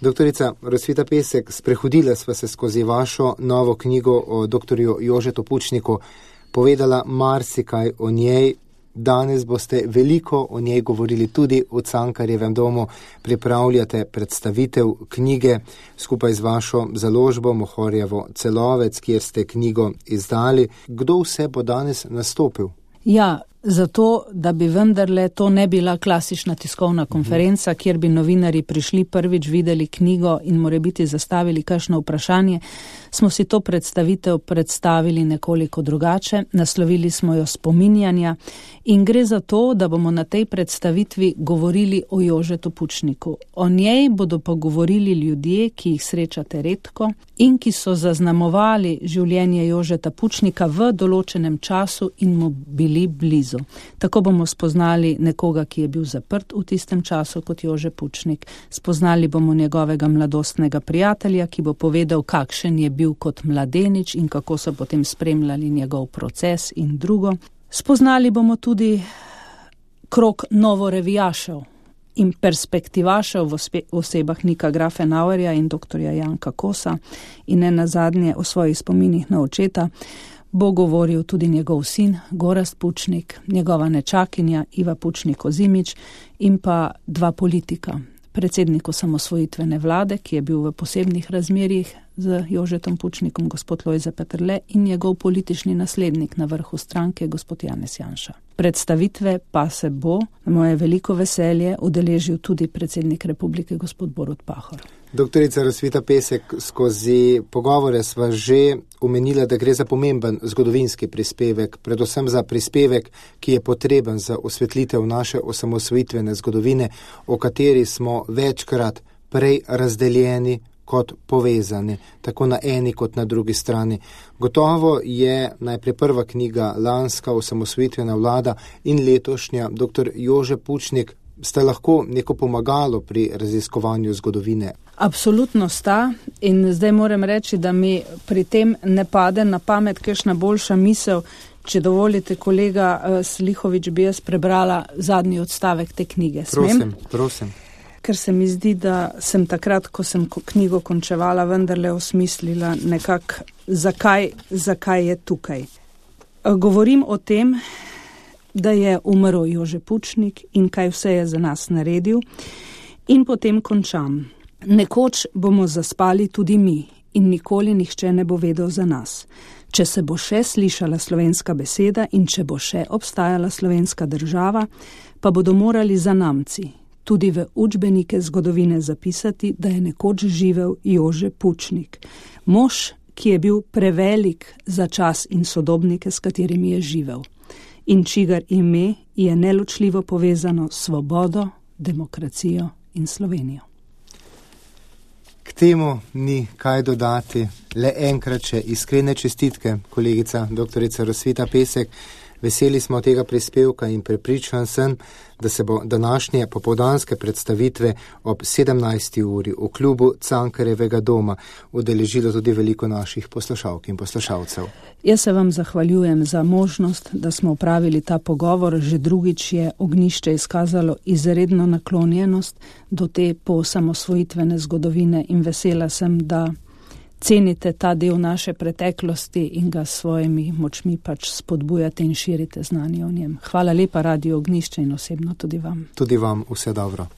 Doktorica Rosvita Pesek, sprehodila sva se skozi vašo novo knjigo o doktorju Jožetu Pučniku, povedala marsikaj o njej. Danes boste veliko o njej govorili tudi v Cankarjevem domu. Pripravljate predstavitev knjige skupaj z vašo založbo Mohorjevo Celovec, kjer ste knjigo izdali. Kdo vse bo danes nastopil? Ja, zato, da bi vendarle to ne bila klasična tiskovna konferenca, kjer bi novinarji prišli prvič, videli knjigo in morebiti zastavili kakšno vprašanje, smo si to predstavitev predstavili nekoliko drugače, naslovili smo jo spominjanja in gre za to, da bomo na tej predstavitvi govorili o Jožetu Pučniku. O njej bodo pa govorili ljudje, ki jih srečate redko in ki so zaznamovali življenje Jožeta Pučnika v določenem času in mu bili blizu. Tako bomo spoznali nekoga, ki je bil zaprt v tistem času kot Jože Pučnik. Spoznali bomo njegovega mladostnega prijatelja, ki bo povedal, kakšen je bil kot mladenič in kako so potem spremljali njegov proces in drugo. Spoznali bomo tudi krog novorevijašev in perspektivašev v osebah Nika Grafenauerja in doktorja Janka Kosa in ne nazadnje o svojih spominih na očeta bo govoril tudi njegov sin Gorazd Pučnik, njegova nečakinja Iva Pučnik-Ozimič in pa dva politika. Predsednik osamosvojitvene vlade, ki je bil v posebnih razmerjih z Jožetom Pučnikom, gospod Lojze Peterle, in njegov politični naslednik na vrhu stranke, gospod Janez Janša. Predstavitve pa se bo, na moje veliko veselje, udeležil tudi predsednik republike, gospod Borut Pahor. Doktorica Rosvita Pesek, skozi pogovore sva že omenila, da gre za pomemben zgodovinski prispevek, predvsem za prispevek, ki je potreben za osvetlitev naše osamosvojitvene zgodovine, o kateri smo večkrat prej razdeljeni kot povezani, tako na eni kot na drugi strani. Gotovo je najprej prva knjiga lanska osamosvojitvena vlada in letošnja dr. Jože Pučnik sta lahko neko pomagalo pri raziskovanju zgodovine. Absolutno sta in zdaj moram reči, da mi pri tem ne pade na pamet kakšna boljša misel. Če dovolite, kolega Slihovič, bi jaz prebrala zadnji odstavek te knjige. Smem? Prosim. Ker se mi zdi, da sem takrat, ko sem knjigo končevala, vendarle osmislila nekako, zakaj je tukaj. Govorim o tem, da je umrl Jože Pučnik in kaj vse je za nas naredil in potem končam. Nekoč bomo zaspali tudi mi in nikoli nihče ne bo vedel za nas. Če se bo še slišala slovenska beseda in če bo še obstajala slovenska država, pa bodo morali zanamci tudi v učbenike zgodovine zapisati, da je nekoč živel Jože Pučnik. Mož, ki je bil prevelik za čas in sodobnike, s katerimi je živel. In čigar ime je neločljivo povezano s svobodo, demokracijo in Slovenijo. K temu ni kaj dodati, le enkrat še iskrene čestitke, kolegica doktorica Rosvita Pesek. Veseli smo tega prispevka in prepričan sem, da se bo današnje popoldanske predstavitve ob 17. uri v klubu Cankarjevega doma udeležilo tudi veliko naših poslušalk in poslušalcev. Jaz se vam zahvaljujem za možnost, da smo opravili ta pogovor. Že drugič je Ognjišče izkazalo izredno naklonjenost do te poosamosvojitvene zgodovine in vesela sem, da cenite ta del naše preteklosti in ga s svojimi močmi pač spodbujate in širite znanje o njem. Hvala lepa, Radio Ognjišče, in osebno tudi vam. Tudi vam vse dobro.